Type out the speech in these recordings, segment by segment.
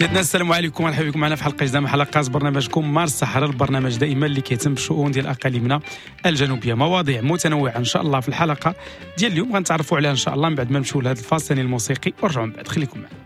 سيدنا، السلام عليكم ومرحبا بكم معنا في حلقة جديدة من حلقات برنامجكم مارس الصحراء، البرنامج دائما اللي كيهتم بالشؤون ديال اقاليمنا الجنوبية. مواضيع متنوعة ان شاء الله في الحلقة ديال اليوم غنتعرفوا عليها ان شاء الله من بعد ما نمشيو لهذا الفاصل الموسيقي ورجعوا من بعد. خليكم معنا.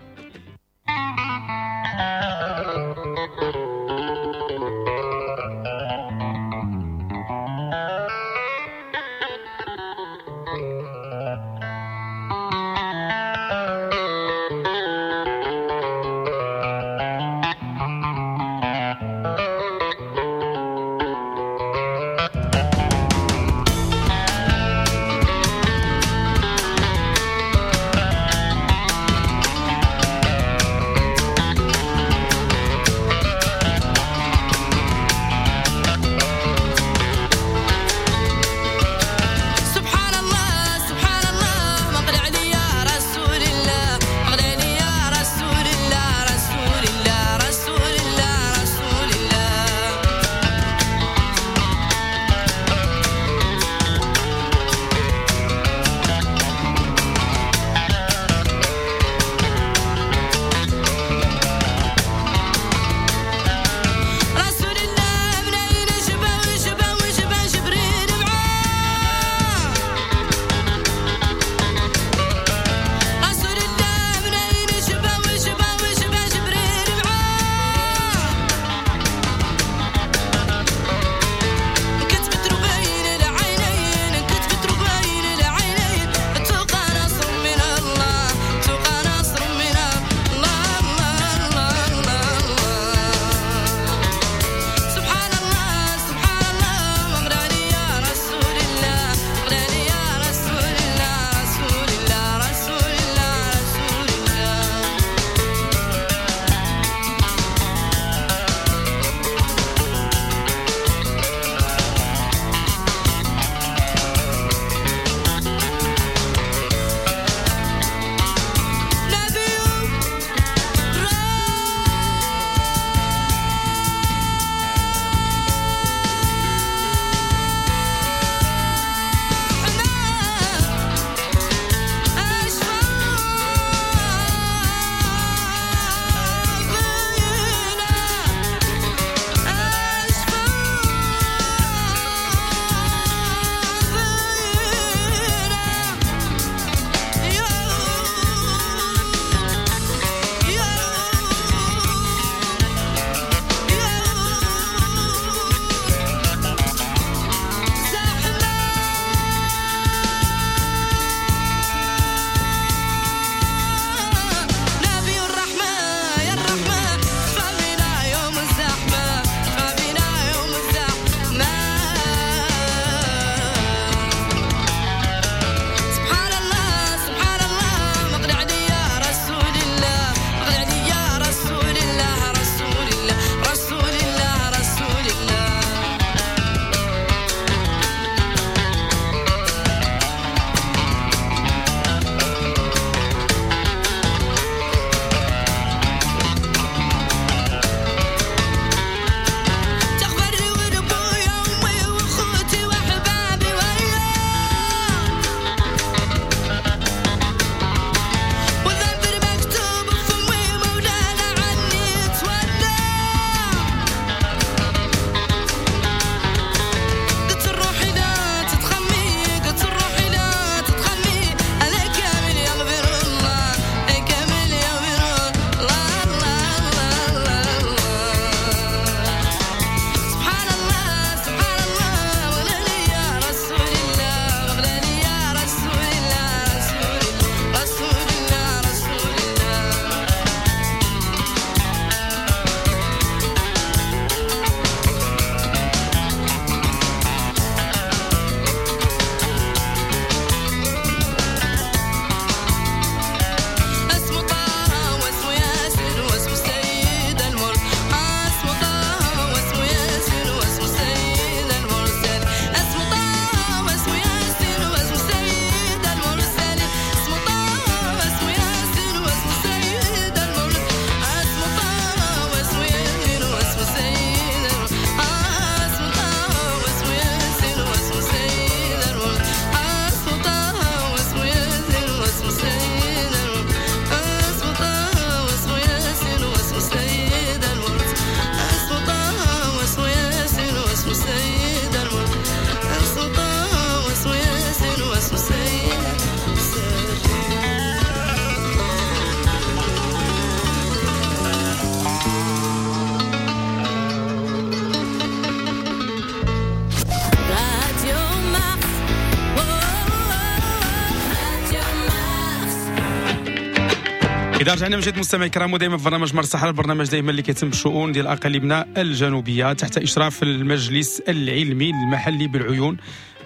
إذا رجعنا من جديد مستمعي الكرام، ودائما في برنامج مارس الصحراء، البرنامج دائما اللي كيتم بالشؤون ديال اقاليمنا الجنوبية تحت اشراف المجلس العلمي المحلي بالعيون.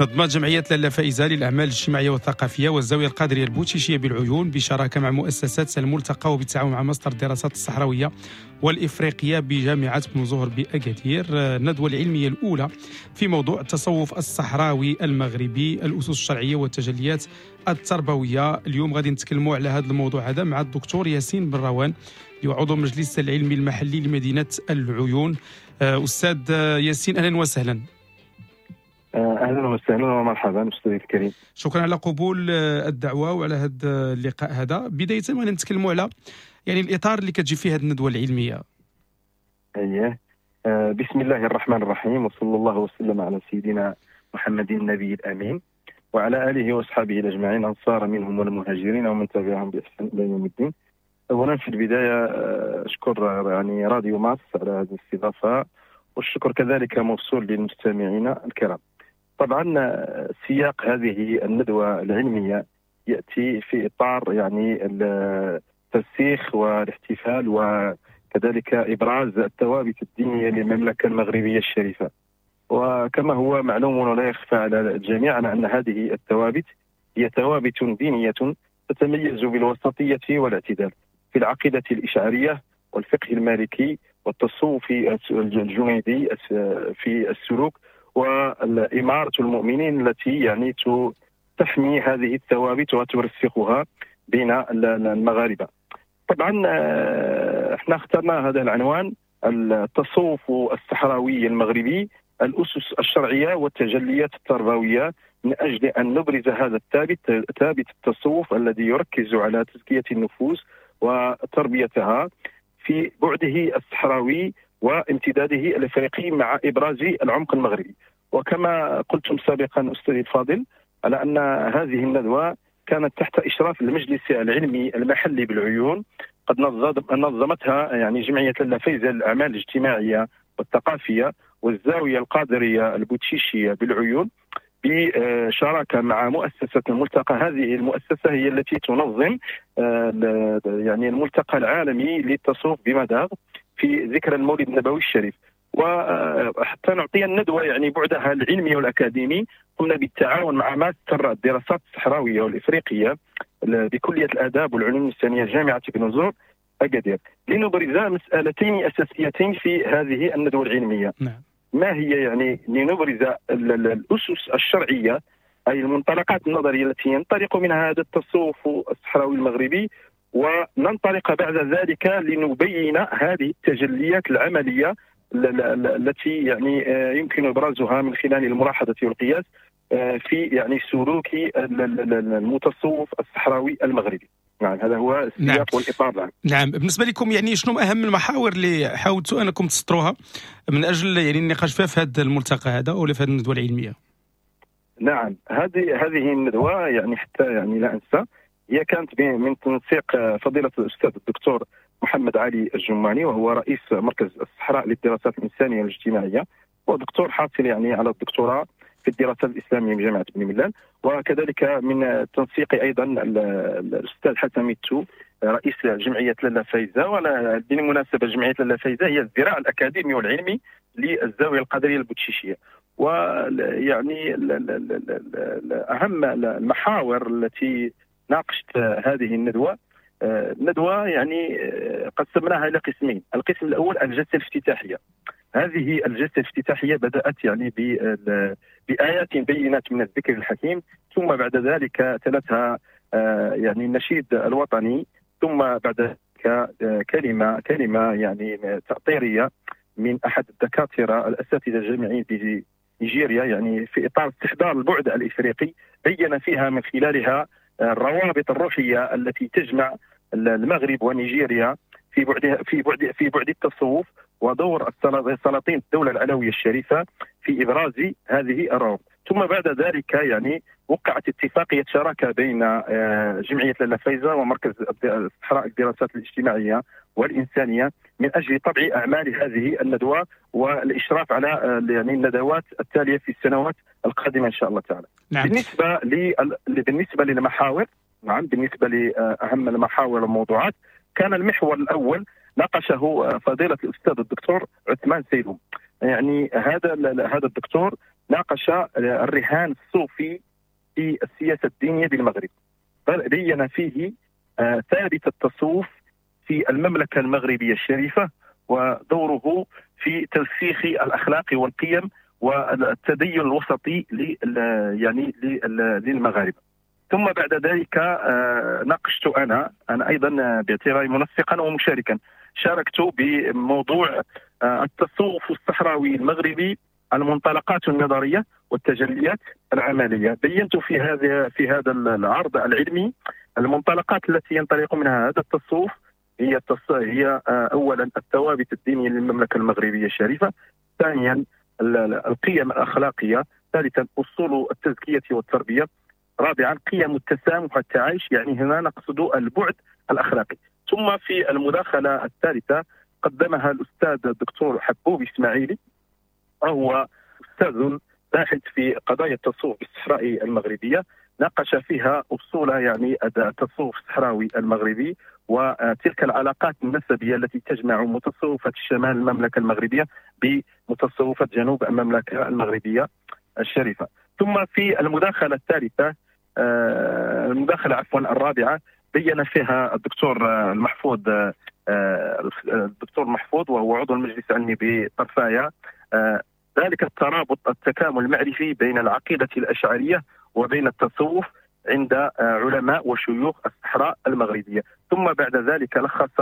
نظمت جمعية لاله فائزه للاعمال الاجتماعية والثقافية والزاويه القادرية البوتشيشيه بالعيون بشراكه مع مؤسسات الملتقى وبالتعاون مع ماستر الدراسات الصحراوية والافريقيه بجامعة بن زهر باكادير الندوة العلمية الاولى في موضوع التصوف الصحراوي المغربي، الاسس الشرعية والتجليات التربوية. اليوم غادي نتكلموا على هذا الموضوع هذا مع الدكتور ياسين بن روان اللي هو عضو المجلس العلمي المحلي لمدينة العيون. استاذ ياسين، اهلا وسهلا. اهلا وسهلا ومرحبا استاذ الكريم. شكرا على قبول الدعوة وعلى هذا اللقاء هذا. بداية غادي نتكلموا على يعني الاطار اللي كتجي فيه هذه الندوة العلمية. اييه، بسم الله الرحمن الرحيم، وصلى الله وسلم على سيدنا محمد النبي الامين وعلى اله واصحابه اجمعين، انصار منهم والمهاجرين ومن تبعهم باحسان الى يوم الدين. اولا في البداية اشكر يعني راديو مارس على هذه الاستضافة، والشكر كذلك موصول للمستمعين الكرام. طبعا سياق هذه الندوة العلمية ياتي في اطار يعني الترسيخ والاحتفال وكذلك ابراز الثوابت الدينية للمملكة المغربية الشريفة. وكما هو معلوم ولا يخفى على الجميع أن هذه الثوابت هي ثوابت دينية تتميز بالوسطية والاعتدال في العقيدة الإشعارية والفقه المالكي والتصوف الجنيدي في السلوك، والإمارة المؤمنين التي يعني تحمي هذه الثوابت وترسخها بين المغاربة. طبعا احنا اخترنا هذا العنوان، التصوف الصحراوي المغربي، الأسس الشرعية والتجليات التربوية، من أجل أن نبرز هذا الثابت، ثابت التصوف الذي يركز على تزكية النفوس وتربيتها في بعده الصحراوي وامتداده الافريقي مع إبراز العمق المغربي. وكما قلتم سابقا أستاذي الفاضل على أن هذه الندوة كانت تحت إشراف المجلس العلمي المحلي بالعيون، قد نظمتها يعني جمعية لاله فايزة للأعمال الاجتماعية والثقافية والزاوية القادرية البوتشيشية بالعيون بشراكة مع مؤسسة الملتقى. هذه المؤسسة هي التي تنظم يعني الملتقى العالمي للتصوف بمداغ في ذكرى المولد النبوي الشريف. وحتى نعطي الندوة يعني بعدها العلمي والأكاديمي، قمنا بالتعاون مع ماستر الدراسات الصحراوية والإفريقية بكلية الآداب والعلوم الإنسانية جامعة بن زهر أكادير، لنبرز مسألتين أساسيتين في هذه الندوة العلمية. نعم. ما هي يعني لنبرز الأسس الشرعية، أي المنطلقات النظرية التي ينطلق منها هذا التصوف الصحراوي المغربي، وننطلق بعد ذلك لنبين هذه التجليات العملية التي يعني يمكن إبرازها من خلال الملاحظة والقياس في يعني سلوك المتصوف الصحراوي المغربي. نعم، هذا هو السياق. نعم. والإطار. نعم. نعم، بالنسبة لكم يعني شنو أهم المحاور اللي حاولتوا أنكم تسطروها من أجل يعني النقاش فيها في هذا الملتقى هذا أو في هذه الندوة العلمية؟ نعم، هذه الندوة يعني حتى يعني لا أنسى، هي كانت من تنسيق فضيلة الأستاذ الدكتور محمد علي الجماني، وهو رئيس مركز الصحراء للدراسات الإنسانية والاجتماعية، ودكتور حاصل يعني على الدكتوراه في الدراسات الإسلامية بجامعة بني ملال، وكذلك من تنسيق أيضا الأستاذ حسن ميتو رئيس جمعية لاله فايزة. وبالمناسبة جمعية لاله فايزة هي الذراع الأكاديمي والعلمي للزاوية القادرية البوتشيشية. ويعني أهم المحاور التي ناقشت هذه الندوة، الندوة يعني قسمناها إلى قسمين. القسم الأول الجلسة الافتتاحية. هذه الجلسة الافتتاحية بدأت يعني بآيات بينات من الذكر الحكيم، ثم بعد ذلك تلتها يعني النشيد الوطني، ثم بعد ذلك كلمة يعني تأطيرية من أحد الدكاترة الأساتذة الجامعيين بنيجيريا، يعني في إطار استحضار البعد الإفريقي، بين فيها من خلالها الروابط الروحية التي تجمع المغرب ونيجيريا في بعد التصوف، ودور سلاطين الدولة العلوية الشريفة في إبراز هذه الروابط. ثم بعد ذلك يعني وقعت اتفاقية شراكة بين جمعية لاله فايزة ومركز الصحراء للدراسات الاجتماعية والإنسانية من أجل طبع أعمال هذه الندوة والإشراف على يعني الندوات التالية في السنوات القادمة إن شاء الله تعالى. نعم. بالنسبة للمحاور، نعم، بالنسبة لأهم المحاور والموضوعات، كان المحور الأول ناقشه فضيلة الأستاذ الدكتور عثمان سيلوم. يعني هذا الدكتور ناقش الرهان الصوفي في السياسة الدينية بالمغرب، بين فيه ثابت التصوف في المملكة المغربية الشريفة ودوره في ترسيخ الأخلاق والقيم والتدين الوسطي يعني للمغاربة. ثم بعد ذلك ناقشت أنا أيضا باعتباري منسقا ومشاركا، شاركت بموضوع التصوف الصحراوي المغربي، المنطلقات النظرية والتجليات العملية. بينت في هذا العرض العلمي المنطلقات التي ينطلق منها هذا التصوف، هي أولا الثوابت الدينية للمملكة المغربية الشريفة، ثانيا القيم الأخلاقية، ثالثا أصول التزكية والتربية، رابعا قيم التسامح والتعايش، يعني هنا نقصد البعد الأخلاقي. ثم في المداخلة الثالثة قدمها الأستاذ الدكتور حبوب إسماعيلي، وهو أستاذ باحث في قضايا التصوف بالصحراء المغربية، ناقش فيها أصول يعني التصوف الصحراوي المغربي وتلك العلاقات النسبية التي تجمع متصوفة الشمال المملكة المغربية بمتصوفة جنوب المملكة المغربية الشريفة. ثم في المداخلة الثالثة، المداخلة عفوا الرابعة، بين فيها الدكتور المحفوظ، الدكتور محفوظ وهو عضو المجلس العلمي بطرفايا، ذلك الترابط التكامل المعرفي بين العقيدة الأشعرية وبين التصوف عند علماء وشيوخ الصحراء المغربية. ثم بعد ذلك لخص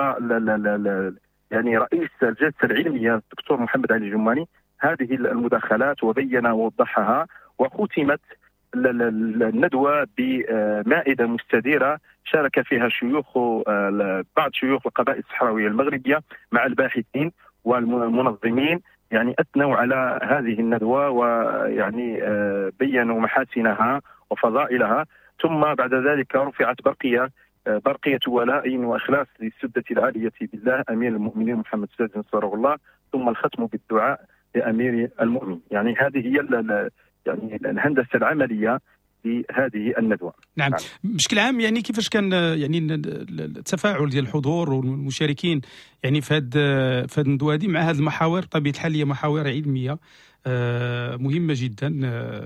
يعني رئيس الجلسة العلمية الدكتور محمد علي الجماني هذه المداخلات وبين ووضحها، وختمت الندوة بمائدة مستديرة شارك فيها شيوخ بعض شيوخ القبائل الصحراوية المغربية مع الباحثين والمنظمين، يعني أثنوا على هذه الندوة ويعني بينوا محاسنها وفضائلها. ثم بعد ذلك رفعت برقية ولاء وإخلاص للسدة العالية بالله أمير المؤمنين محمد السادس نصره الله، ثم الختم بالدعاء لأمير المؤمنين. يعني هذه هي يعني الهندسة العملية لهذه الندوة. نعم. بشكل عام يعني كيفاش كان يعني التفاعل ديال الحضور والمشاركين يعني في هذه الندوة هذه مع هذه المحاور؟ بطبيعة الحال هي محاور علمية مهمة جدا،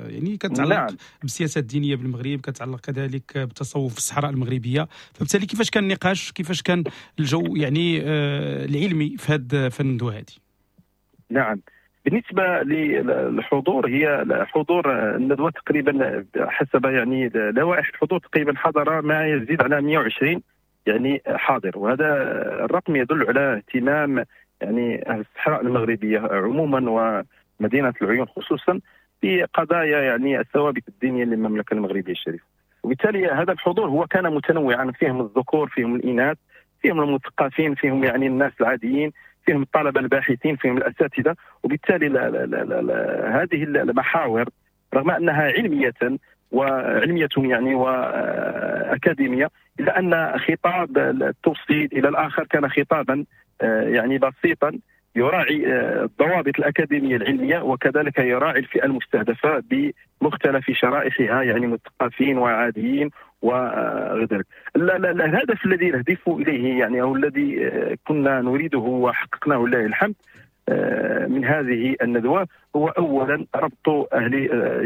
يعني كتعلق نعم. بالسياسة الدينية بالمغرب، كتعلق كذلك بالتصوف في الصحراء المغربية، فبالتالي كيفاش كان النقاش، كيفاش كان الجو يعني العلمي في الندوة هذه؟ نعم، بالنسبة للحضور، هي حضور الندوة تقريبا حسب يعني لوائح الحضور تقريبا حضر ما يزيد على 120 يعني حاضر، وهذا الرقم يدل على اهتمام يعني أهل الصحراء المغربية عموما ومدينة العيون خصوصا بقضايا يعني الثوابت الدينية للمملكة المغربية الشريفة. وبالتالي هذا الحضور هو كان متنوعا، فيهم الذكور، فيهم الإناث، فيهم المثقفين، فيهم يعني الناس العاديين، فيهم الطلبة الباحثين، فيهم الأساتذة. وبالتالي لا لا لا لا هذه المحاور رغم أنها علمية وعلمية يعني وأكاديمية، إلا أن خطاب التوصيل إلى الآخر كان خطابا يعني بسيطا يراعي الضوابط الأكاديمية العلمية، وكذلك يراعي الفئة المستهدفة بمختلف شرائحها، يعني مثقفين وعاديين وغير ذلك. الهدف الذي نهدف إليه يعني أو الذي كنا نريده وحققناه لله الحمد من هذه الندوة هو أولا ربط أهل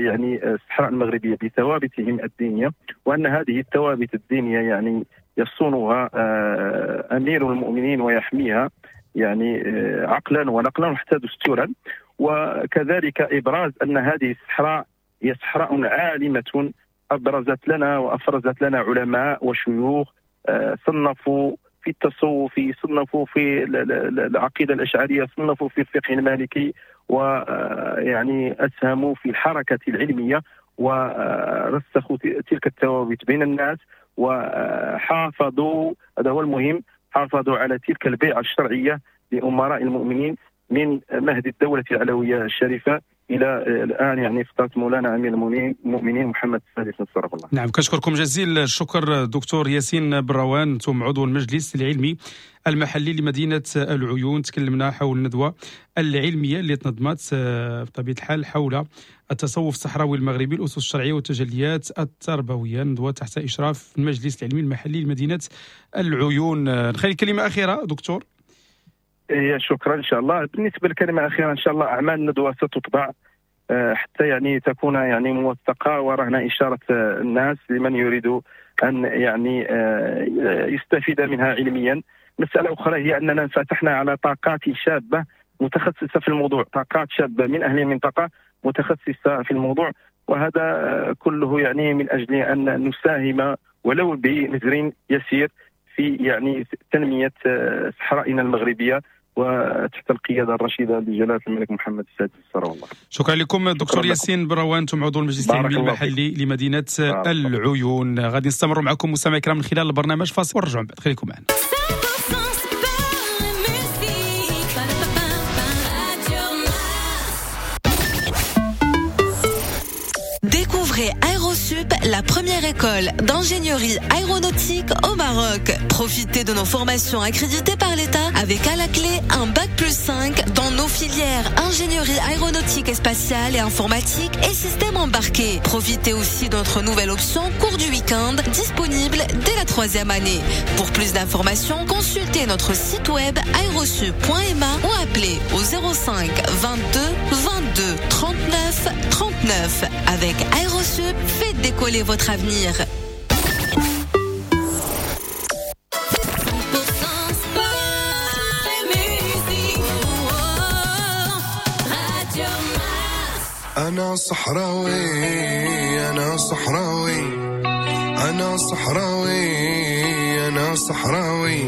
يعني الصحراء المغربية بثوابتهم الدينية، وأن هذه الثوابت الدينية يعني يصونها أمير المؤمنين ويحميها يعني عقلا ونقلا وحتى دستورا، وكذلك إبراز أن هذه الصحراء هي صحراء عالمة أبرزت لنا وأفرزت لنا علماء وشيوخ صنفوا في التصوف، صنفوا في العقيدة الأشعرية، صنفوا في الفقه المالكي، ويعني أسهموا في الحركة العلمية ورسخوا تلك الثوابت بين الناس، وحافظوا، هذا هو المهم، حافظوا على تلك البيعة الشرعية لأمراء المؤمنين من مهد الدولة العلوية الشريفة الى الان يعني فترة مولانا امير المؤمنين محمد السادس نصره الله. نعم، كنشكركم جزيل الشكر دكتور ياسين براوان، انتم عضو المجلس العلمي المحلي لمدينة العيون. تكلمنا حول الندوة العلمية اللي تنظمت بطبيعة الحال حول التصوف الصحراوي المغربي، الاسس الشرعية والتجليات التربوية، ندوه تحت اشراف المجلس العلمي المحلي لمدينة العيون. نخلي كلمة اخيرة دكتور. شكرا. ان شاء الله بالنسبة للكلمة الاخيرة، ان شاء الله اعمال الندوة ستطبع حتى يعني تكون يعني موثقة، ورهنا اشارة الناس لمن يريد ان يعني يستفيد منها علميا. مسالة اخرى هي اننا انفتحنا على طاقات شابه متخصصة في الموضوع، طاقات شابه من اهل المنطقة متخصصة في الموضوع، وهذا كله يعني من اجل ان نساهم ولو بمزر يسير في يعني تنمية صحرائنا المغربية وتحت القيادة الرشيدة لجلاله الملك محمد السادس نصره الله. شكرا لكم دكتور ياسين براوان، انتم عضو المجلس العلمي المحلي لمدينة العيون. غادي نستمر معكم مستمعي الكرام من خلال البرنامج، فاصل ونرجعوا من بعد، خليكم معنا. Découvrez Aerosup, la première école d'ingénierie aéronautique au Maroc. Profitez de nos formations accréditées par l'État avec à la clé un bac+5 dans nos filières ingénierie aéronautique et spatiale et informatique et système embarqué. Profitez aussi de notre nouvelle option cours du week-end disponible dès la 3e année. Pour plus d'informations, consultez notre site web aerosup.ma ou appelez au 05 22 22 39 39. Avec Aerosup, faites décoller votre avenir. 100% sport et musique. Radio Mars. أنا صحراوي، أنا صحراوي، أنا صحراوي، أنا صحراوي،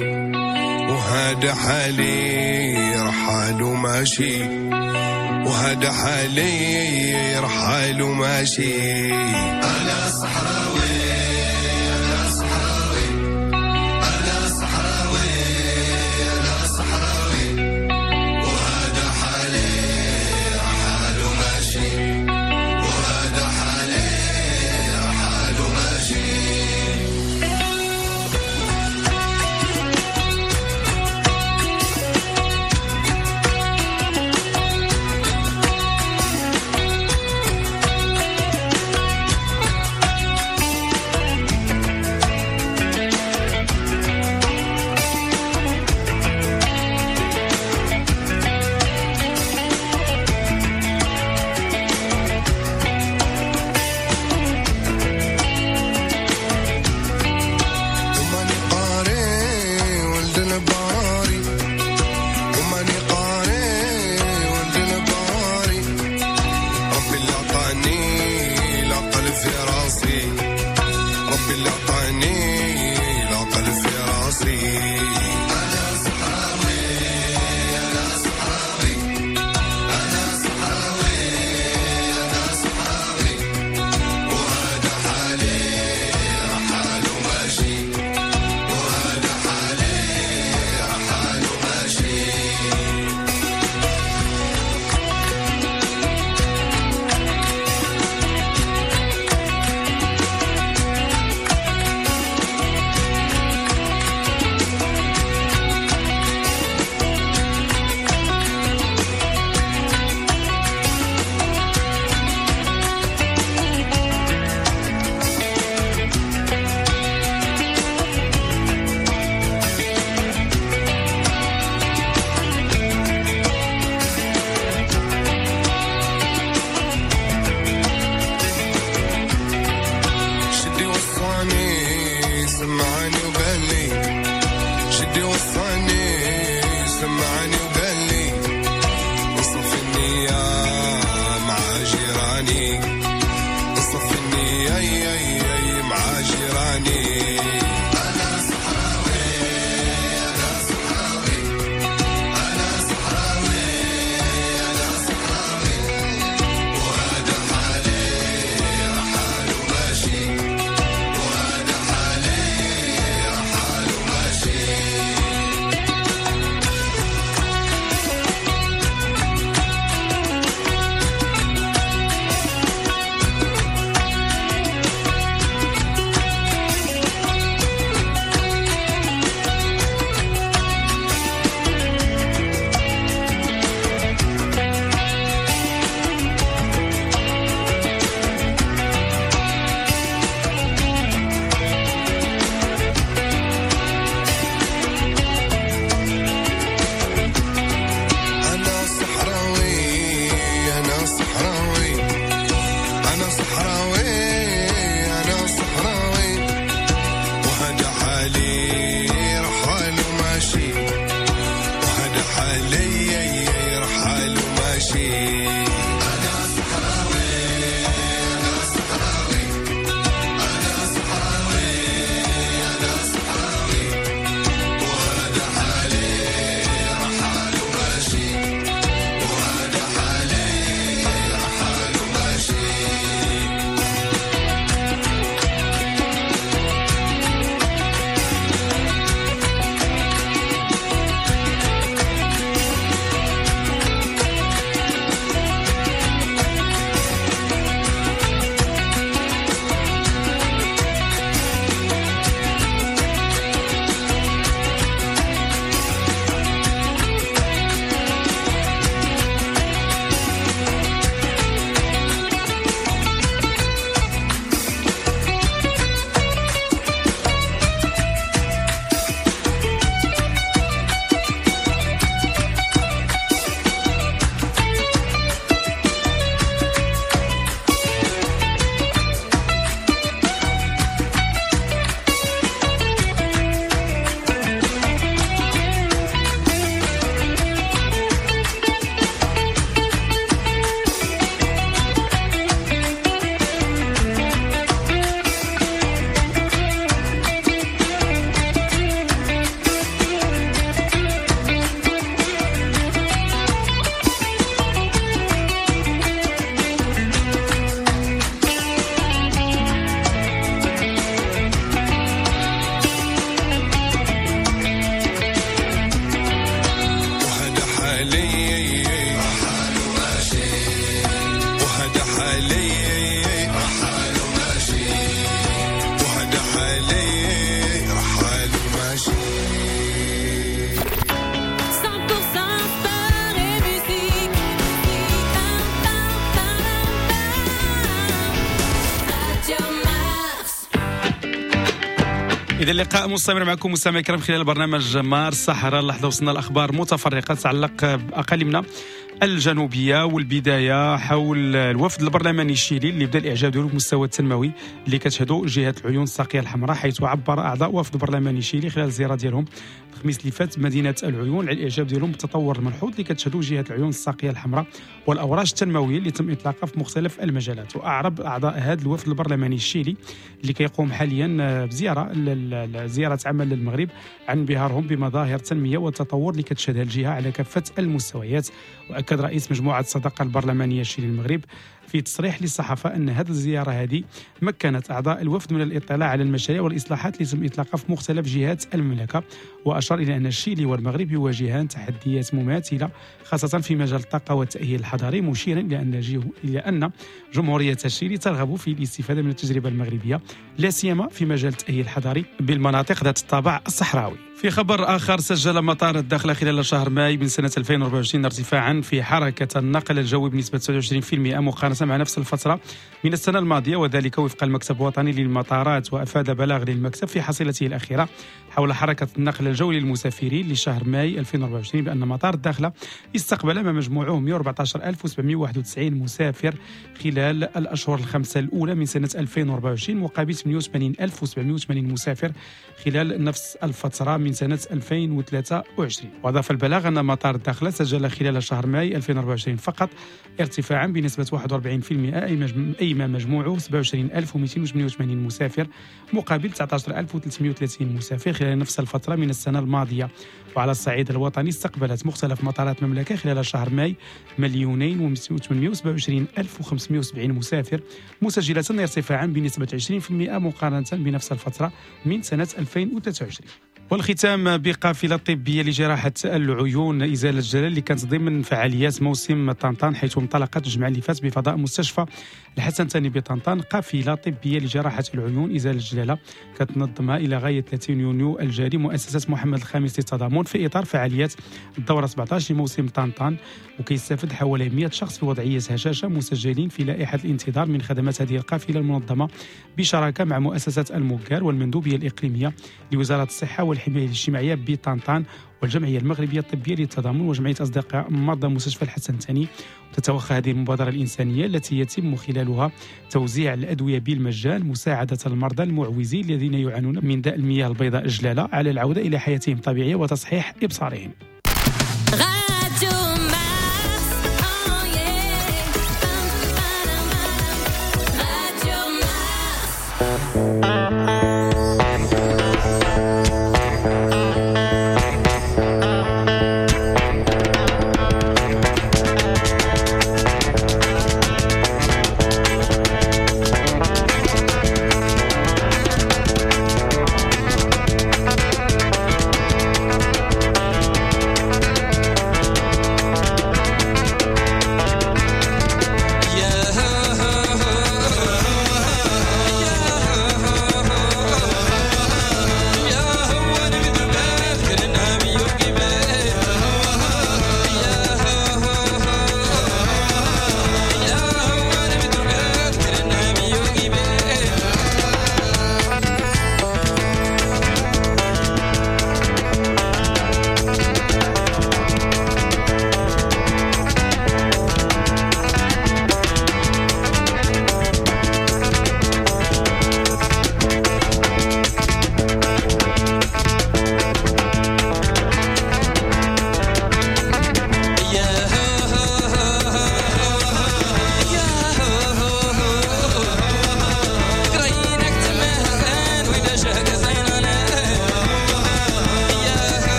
وهذا حالي رحال وماشي، وهذا حالي رحال وماشي. أنا صحراوي، أنا صحراوي، أنا صحراوي، أنا صحراوي، وهذا حالي رحال وماشي، وهذا حالي رحال وماشي. إذا اللقاء مستمر معكم مستمعي الكرام خلال برنامج مارس الصحراء. اللحظة وصلنا الأخبار متفرقة تتعلق بأقاليمنا الجنوبية، والبداية حول الوفد البرلماني الشيلي اللي بدا الإعجاب ديالو بالمستوى التنموي اللي كتشهدو جهة العيون الساقية الحمراء، حيث عبر أعضاء وفد برلماني الشيلي خلال الزيارة ديالهم الخميس اللي فات مدينة العيون على الإعجاب ديالهم بالتطور الملحوظ اللي كتشهدو جهة العيون الساقية الحمراء والأوراش التنموية اللي تم إطلاقها في مختلف المجالات. وأعرب أعضاء هذا الوفد البرلماني الشيلي اللي كيقوم حاليا بزيارة زيارة عمل للمغرب عن انبهارهم بمظاهر التنمية والتطور اللي كتشهدها الجهة على كافة المستويات. وأكد رئيس مجموعة الصداقة البرلمانية الشيلي المغرب في تصريح للصحافة أن هذه الزيارة هذه مكنت أعضاء الوفد من الاطلاع على المشاريع والإصلاحات اللي تم إطلاقها في مختلف جهات المملكة. وأشار إلى أن الشيلي والمغرب يواجهان تحديات مماثلة خاصة في مجال الطاقة والتأهيل الحضري، مشيرا إلى أن جمهورية الشيلي ترغب في الاستفادة من التجربة المغربية لا سيما في مجال التأهيل الحضري بالمناطق ذات الطابع الصحراوي. في خبر آخر، سجل مطار الداخلة خلال شهر ماي من سنة 2024 ارتفاعا في حركة النقل الجوي بنسبة 29% مقارنة مع نفس الفترة من السنة الماضية، وذلك وفق المكتب الوطني للمطارات. وأفاد بلاغ للمكتب في حصيلته الأخيرة حول حركة النقل الجوي للمسافرين لشهر ماي 2024 بأن مطار الداخلة استقبل ما مجموعه 114791 مسافر خلال الأشهر الخمسة الأولى من سنة 2024 مقابل 88780 مسافر خلال نفس الفترة من سنة 2023. وأضاف البلاغ أن مطار الداخلة سجل خلال شهر ماي 2024 فقط ارتفاعا بنسبة 41% أي ما مجموعه 27288 مسافر مقابل 19330 مسافر خلال نفس الفترة من السنة الماضية. وعلى الصعيد الوطني استقبلت مختلف مطارات المملكة خلال شهر ماي 2,827,570 مسافر مسجلة ارتفاعا بنسبة 20% مقارنة بنفس الفترة من سنة 2023. والختام بقافلة طبية لجراحة العيون إزالة الجلال اللي كانت ضمن فعاليات موسم طنطان، حيث انطلقت الجمعة اللي فات بفضاء مستشفى الحسن الثاني بطنطان قافلة طبية لجراحة العيون إزالة الجلالة كتنظمها إلى غاية 30 يونيو الجاري مؤسسة محمد الخامس للتضامن في إطار فعاليات الدورة 17 لموسم طنطان. وكيستفد حوالي 100 شخص في وضعية هشاشة مسجلين في لائحة الانتظار من خدمات هذه القافلة المنظمة بشراكة مع مؤسسة الموكار والمندوبية الإقليمية لوزارة الصحة والحماية الاجتماعية بطنطان والجمعية المغربية الطبية للتضامن وجمعية أصدقاء مرضى مستشفى الحسن الثاني. تتوخى هذه المبادرة الإنسانية التي يتم خلالها توزيع الأدوية بالمجان مساعدة المرضى المعوزين الذين يعانون من داء المياه البيضاء الجلالة على العودة إلى حياتهم الطبيعية وتصحيح إبصارهم.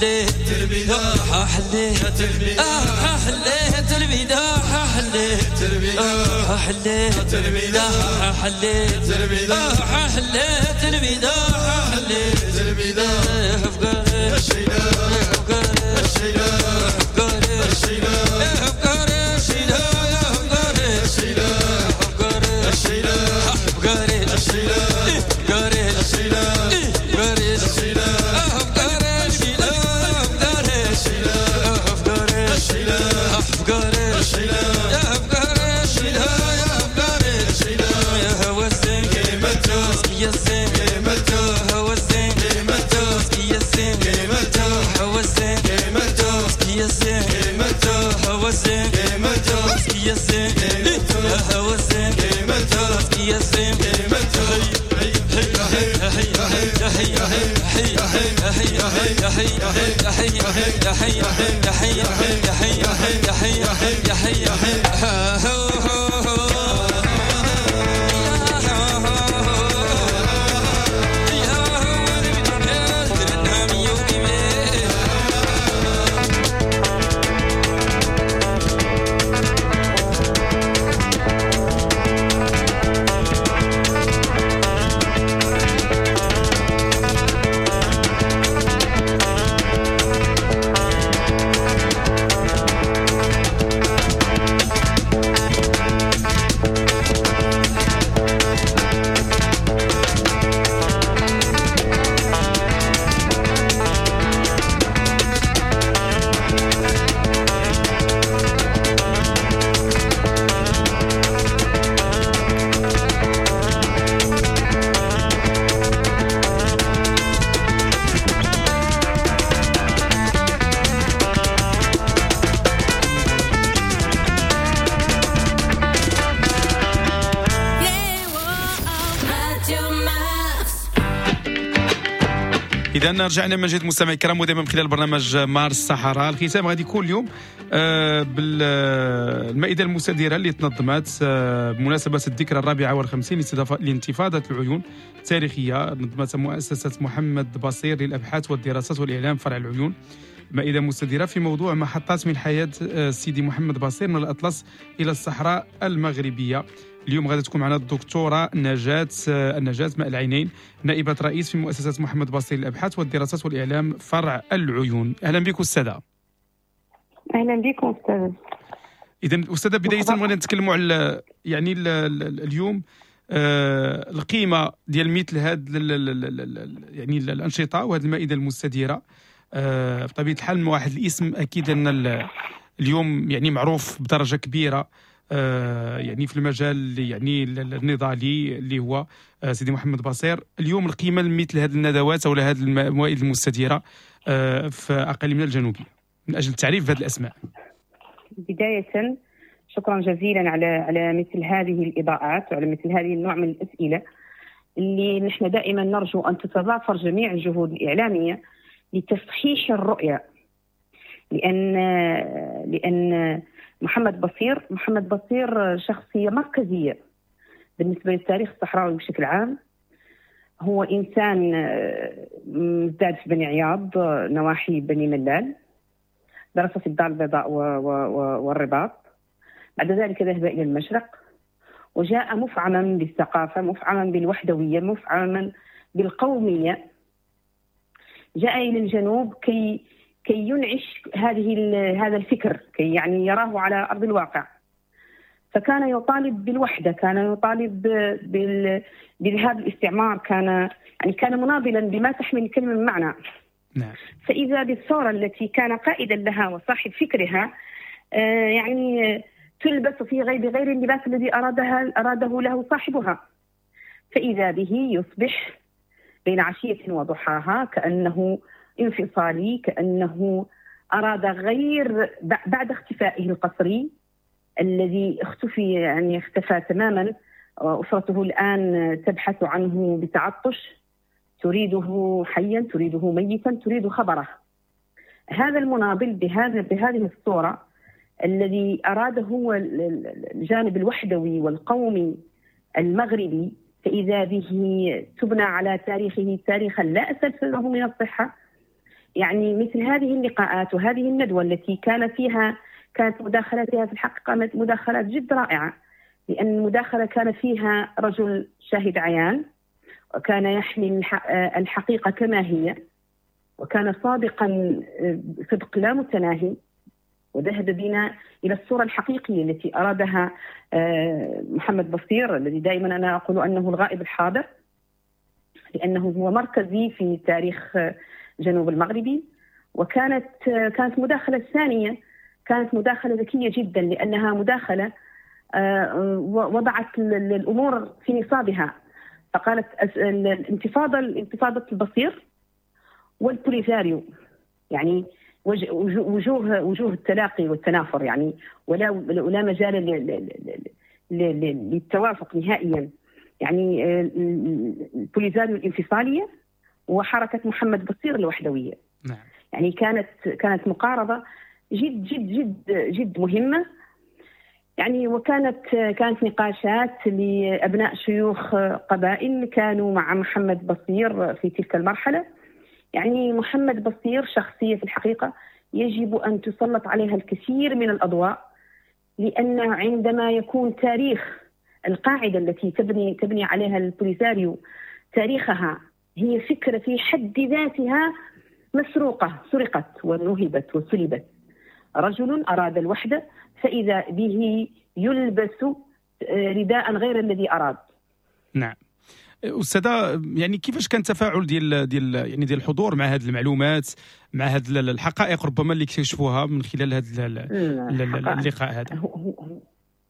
حليت البداع حليت البداع حليت البداع حليت البداع حليت البداع حليت البداع حليت البداع حليت البداع إذا رجعنا من جديد مستمعي الكرام، ودائما من خلال برنامج مارس الصحراء. الختام غادي يكون اليوم بالمائدة المستديرة اللي تنظمت بمناسبة الذكرى 54 لانتفاضة العيون التاريخية، نظمتها مؤسسة محمد بصير للأبحاث والدراسات والإعلام فرع العيون. مائدة مستديرة في موضوع محطات من حياة سيدي محمد بصير من الأطلس إلى الصحراء المغربية. اليوم غادي تكون معنا الدكتورة نجاة ماء العينين، نائبة رئيس في مؤسسة محمد بصير للأبحاث والدراسات والإعلام فرع العيون. أهلا بك أستاذة. أهلا بكم أستاذ. إذا أستاذة، بداية بغينا نتكلموا على يعني اليوم القيمة ديال مثل هاد يعني الأنشطة وهذه المائدة المستديرة. بطبيعة الحال واحد الاسم أكيد أن اليوم يعني معروف بدرجة كبيرة يعني في المجال يعني النضالي اللي هو سيدي محمد بصير. اليوم القيمة مثل هذه الندوات أو هذه الموائد المستديرة في أقاليمنا الجنوبية من أجل التعريف بهذه الأسماء. بداية شكرا جزيلا على مثل هذه الإضاءات وعلى مثل هذه النوع من الأسئلة اللي نحن دائما نرجو أن تتضافر جميع الجهود الإعلامية لتصحيح الرؤية، لأن محمد بصير شخصية مركزية بالنسبة للتاريخ الصحراوي بشكل عام. هو إنسان ازداد في بني عياض نواحي بني ملال، درس في الدار البيضاء والرباط، بعد ذلك ذهب إلى المشرق وجاء مفعما بالثقافة، مفعما بالوحدوية، مفعما بالقومية. جاء إلى الجنوب كي ينعش هذا الفكر، كي يعني يراه على أرض الواقع. فكان يطالب بالوحدة، كان يطالب بذهاب الاستعمار، كان مناضلا بما تحمل الكلمة من معنى. نعم. فإذا بالثورة التي كان قائدا لها وصاحب فكرها يعني تلبس في غير اللباس الذي أراده له صاحبها، فإذا به يصبح بين عشية وضحاها كأنه انفصالي، كأنه أراد غير بعد اختفائه القسري الذي اختفي، يعني اختفى تماما. أسرته الآن تبحث عنه بتعطش، تريده حيا، تريده ميتا، تريد خبره. هذا المناضل بهذه الصورة الذي أراده هو الجانب الوحدوي والقومي المغربي، فإذا به تبنى على تاريخه تاريخا لا أساس له من الصحة. يعني مثل هذه اللقاءات وهذه الندوة التي كانت مداخلاتها في الحقيقة مداخلات جد رائعة، لأن المداخلة كان فيها رجل شاهد عيان، وكان يحمل الحقيقة كما هي، وكان صادقا صدق لا متناهي، وذهب بنا إلى الصورة الحقيقية التي أرادها محمد بصير، الذي دائما أنا أقول أنه الغائب الحاضر، لأنه هو مركزي في تاريخ جنوب المغربي. وكانت مداخلة الثانية كانت مداخلة ذكية جدا، لأنها مداخلة وضعت الأمور في نصابها، فقالت الانتفاضة البصير والبوليزاريو، يعني وجوه التلاقي والتنافر، يعني ولا مجال للتوافق نهائيا. يعني البوليزاريو الانفصالية وحركة محمد بصير الوحدوية. نعم. يعني كانت مقاربة جد جد جد جد مهمة. يعني وكانت نقاشات لأبناء شيوخ قبائل كانوا مع محمد بصير في تلك المرحلة. يعني محمد بصير شخصية في الحقيقة يجب أن تسلط عليها الكثير من الأضواء، لأن عندما يكون تاريخ القاعدة التي تبني عليها البوليساريو تاريخها هي فكرة في حد ذاتها مسروقة، سرقت ونهبت وسلبت. رجل أراد الوحدة فإذا به يلبس رداء غير الذي أراد. نعم أستاذة، يعني كيفاش كان التفاعل ديال يعني ديال الحضور مع هذه المعلومات، مع هذه الحقائق ربما اللي اكتشفوها من خلال هذا اللقاء هذا؟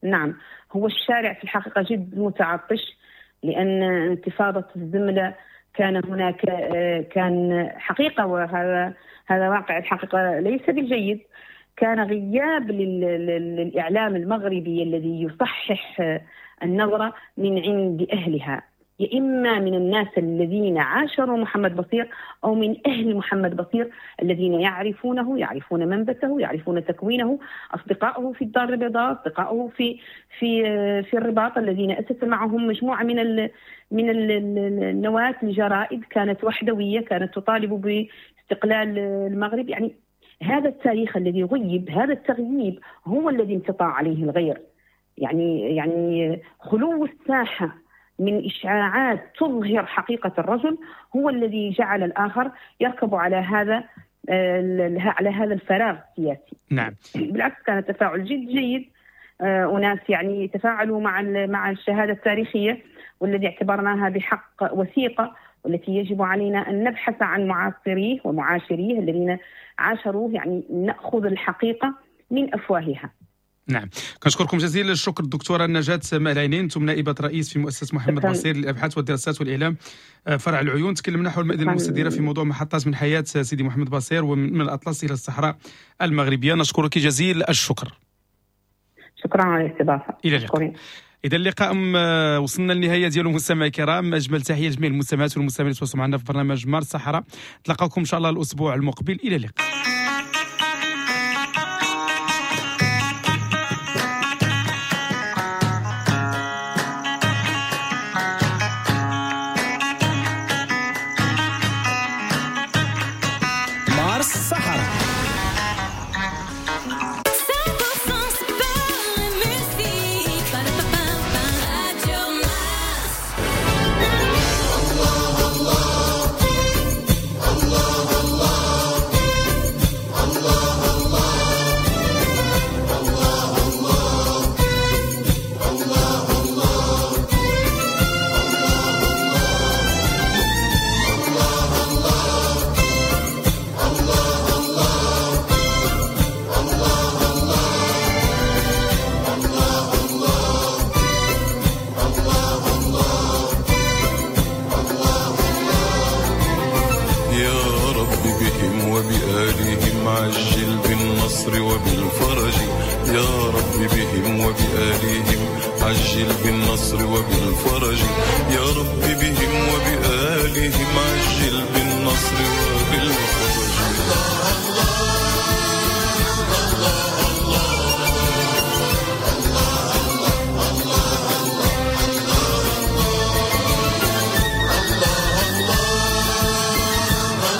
نعم، هو الشارع في الحقيقة جد متعطش، لأن انتفاضة الزملة كان هناك كان حقيقة، وهذا واقع الحقيقة ليس بالجيد، كان غياب للإعلام المغربي الذي يصحح النظرة من عند أهلها، يا إما من الناس الذين عاشروا محمد بصير أو من أهل محمد بصير الذين يعرفونه، يعرفون منبته، يعرفون تكوينه، أصدقائه في الدار البيضاء، أصدقائه في في في الرباط الذين أسس معهم مجموعة من النواة الجرائد كانت وحدوية، كانت تطالب باستقلال المغرب. يعني هذا التاريخ الذي غيب، هذا التغييب هو الذي انقطع عليه الغير. يعني خلو الساحة من إشعاعات تظهر حقيقة الرجل هو الذي جعل الآخر يركب على هذا الفراغ السياسي. نعم. بالعكس كان تفاعل جد جيد، أناس يعني تفاعلوا مع الشهادة التاريخية والذي اعتبرناها بحق وثيقة، والتي يجب علينا أن نبحث عن معاصريه ومعاشريه الذين عاشروه، يعني نأخذ الحقيقة من أفواهها. نعم، كنشكركم جزيل الشكر الدكتورة نجاة مالعينين، انتم نائبة رئيس في مؤسسة محمد بصير للأبحاث والدراسات والإعلام فرع العيون. تكلمنا حول المائدة المستديرة في موضوع محطات من حياة سيدي محمد بصير ومن الأطلس إلى الصحراء المغربية. نشكرك جزيل الشكر. شكرا على الاستضافة. إلى اللقاء. إذا اللقاء وصلنا للنهاية ديالو مستمعي الكرام. أجمل تحية لجميع المستمعات والمستمعين اللي تواصلوا معنا في برنامج مار الصحراء. نتلاقاكم إن شاء الله الأسبوع المقبل. إلى اللقاء. الصحراء. عجل بالنصر وبالفرج يا رب بهم وبآلهم، عجل بالنصر وبالفرج يا رب بهم وبآلهم، عجل بالنصر وبالفرج.